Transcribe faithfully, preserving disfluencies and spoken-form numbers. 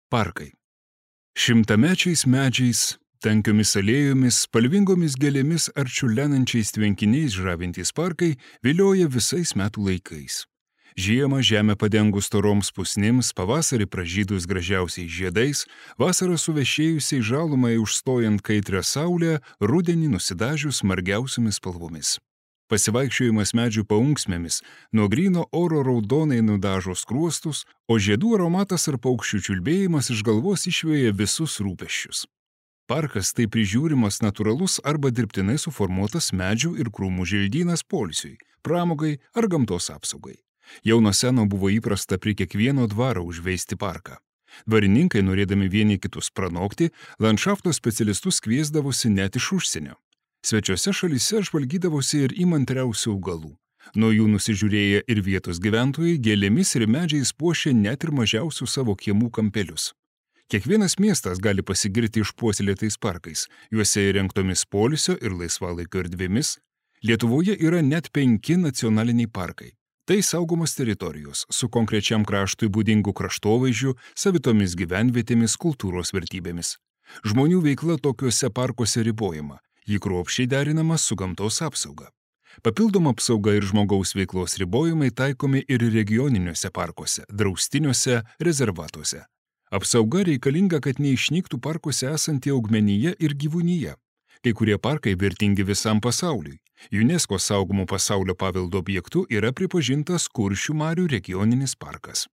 Parkai. Šimtamečiais medžiais, tankiomis alėjomis, spalvingomis gėlėmis ar čiurlenančiais tvenkiniais žavintys parkai vilioja visais metų laikais. Žiemą žemę padengus storoms pusnims, pavasarį pražydus gražiausiais žiedais, vasarą suvešėjusiai žalumai užstojant kaitrią saulę, rudenį nusidažius margiausiomis spalvomis. Pasivaikščiojimas medžių paunksmėmis nuo gryno oro raudonai nudažo skruostus, o žiedų aromatas ar paukščių čiulbėjimas iš galvos išvėja visus rūpesčius. Parkas tai prižiūrimas natūralus arba dirbtinai suformuotas medžių ir krūmų želdynas poilsiui, pramogai ar gamtos apsaugai. Jau nuo seno buvo įprasta prie kiekvieno dvaro užveisti parką. Dvarininkai, norėdami vieni kitus pranokti, landšafto specialistus kviesdavosi net iš užsienio. Svečiose šalyse žvalgydavosi ir įmantriausių augalų. Nuo jų nusižiūrėję ir vietos gyventojai gėlėmis ir medžiais puošė net ir mažiausių savo kiemų kampelius. Kiekvienas miestas gali pasigirti išpuoselėtais parkais, juose įrengtomis poilsio ir laisvalaikio erdvėmis. Lietuvoje yra net penki nacionaliniai parkai. Tai saugomos teritorijos su konkrečiam kraštui būdingų kraštovaizdžių, savitomis gyvenvietėmis, kultūros vertybėmis. Žmonių veikla tokiuose parkuose ribojama. Ji kruopščiai derinama su gamtos apsauga. Papildoma apsauga ir žmogaus veiklos ribojimai taikomi ir regioniniuose parkuose, draustiniuose, rezervatuose. Apsauga reikalinga, kad neišnyktų parkuose esanti augmenija ir gyvūnija. Kai kurie parkai vertingi visam pasauliui. UNESCO saugomų pasaulio paveldo objektu yra pripažintas Kuršių marių regioninis parkas.